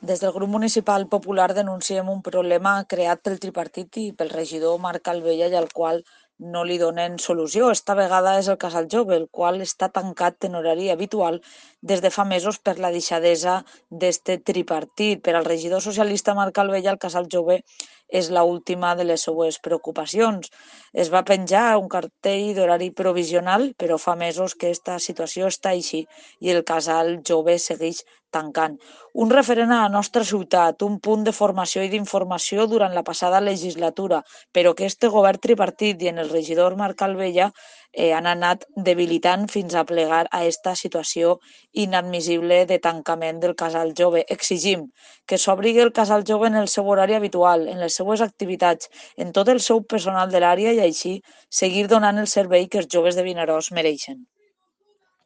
Des del grup municipal popular denunciem un problema creat pel tripartit i pel regidor Marc Calvella i al qual no li donen solució. Esta vegada és el Casal Jove, el qual està tancat en horari habitual des de fa mesos per la deixadesa d'este tripartit. Per al regidor socialista Marc Calvella, el Casal Jove és l'última de les seues preocupacions. Es va penjar un cartell d'horari provisional, però fa mesos que esta situació està així i el Casal Jove segueix tancant. Un referent a la nostra ciutat, un punt de formació i d'informació durant la passada legislatura, però que este govern tripartit i en el regidor Marc Calvella han anat debilitant fins a plegar a esta situació inadmissible de tancament del Casal Jove. Exigim que s'obri el Casal Jove en el seu horari habitual, en les seues activitats, en tot el seu personal de l'àrea i així seguir donant el servei que els joves de Vinaròs mereixen.